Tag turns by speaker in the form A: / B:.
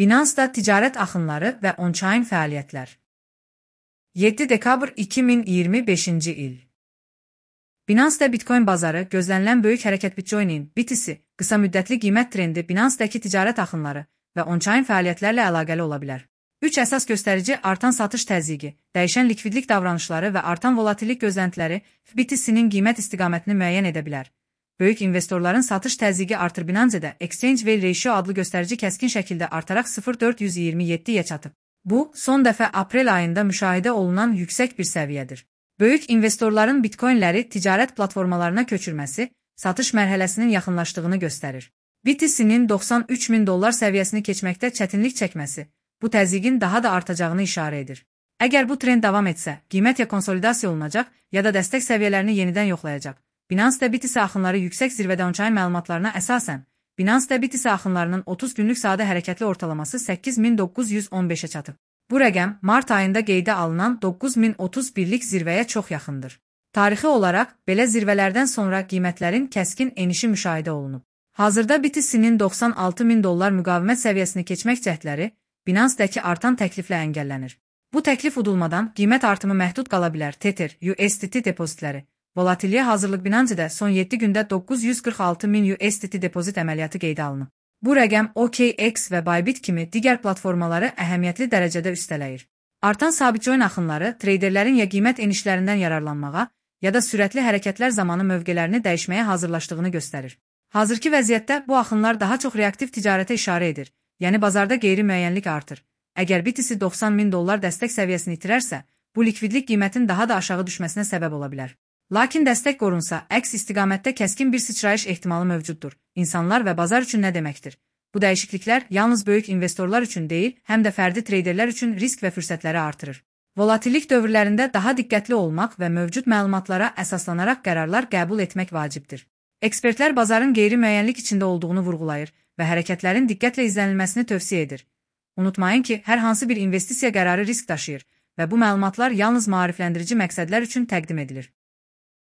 A: Binance-da ticarət axınları və on-chain fəaliyyətlər. 7 dekabr 2025-ci il. Binance-da Bitcoin bazarı gözlənilən böyük hərəkət Bitcoin-in BTC qısa müddətli qiymət trendi Binance-daki ticarət axınları və on-chain fəaliyyətlərlə əlaqəli ola bilər. 3 əsas göstərici artan satış təzyiqi, dəyişən likvidlik davranışları və artan volatillik gözləntiləri BTC-nin qiymət istiqamətini müəyyən edə bilər. Böyük investorların satış təzyiqi artır. Binance-də Exchange Value Ratio adlı göstərici kəskin şəkildə artaraq 0,427-yə çatıb. Bu, son dəfə aprel ayında müşahidə olunan yüksək bir səviyyədir. Böyük investorların bitcoinləri ticarət platformalarına köçürməsi satış mərhələsinin yaxınlaşdığını göstərir. BTC-nin $93.000 səviyyəsini keçməkdə çətinlik çəkməsi bu təzyiqin daha da artacağını işarə edir. Əgər bu trend davam etsə, qiymət ya konsolidasiya olunacaq, ya da dəstək səviyyələrini yenidən yoxlayacaq. Binance-da BTC axınları yüksək zirvədə on-chain məlumatlarına əsasən, Binance-da BTC axınlarının 30 günlük sadə hərəkətli ortalaması 8915-ə çatıb. Bu rəqəm mart ayında qeydə alınan 9031-lik zirvəyə çox yaxındır. Tarixi olaraq, belə zirvələrdən sonra qiymətlərin kəskin enişi müşahidə olunub. Hazırda BTC-nin $96.000 müqavimət səviyyəsini keçmək cəhdləri Binance-dəki artan təkliflə əngəllənir. Bu təklif udulmadan qiymət artımı məhdud qala bilər. Tether, USDT depozitləri. Volatilliyə hazırlıq. Binance-də son 7 gündə $946.000 USDT depozit əməliyyatı qeydə alınıb. Bu rəqəm OKX və Bybit kimi digər platformaları əhəmiyyətli dərəcədə üstələyir. Artan sabit coin axınları treyderlərin ya qiymət enişlərindən yararlanmağa, ya da sürətli hərəkətlər zamanı mövqelərini dəyişməyə hazırlaşdığını göstərir. Hazırki vəziyyətdə bu axınlar daha çox reaktiv ticarətə işarə edir, yəni bazarda qeyri-müəyyənlik artır. Əgər BTC $90.000 dəstək səviyyəsini itirərsə, bu likvidlik qiymətin daha da aşağı düşməsinə səbəb ola bilər. Lakin dəstək qorunsa, əks istiqamətdə kəskin bir sıçrayış ehtimalı mövcuddur. İnsanlar və bazar üçün nə deməkdir? Bu dəyişikliklər yalnız böyük investorlar üçün deyil, həm də fərdi treyderlər üçün risk və fürsətləri artırır. Volatillik dövrlərində daha diqqətli olmaq və mövcud məlumatlara əsaslanaraq qərarlar qəbul etmək vacibdir. Ekspertlər bazarın qeyri-müəyyənlik içində olduğunu vurğulayır və hərəkətlərin diqqətlə izlənilməsini tövsiyə edir. Unutmayın ki, hər hansı bir investisiya qərarı risk daşıyır və bu məlumatlar yalnız maarifləndirici məqsədlər üçün təqdim edilir.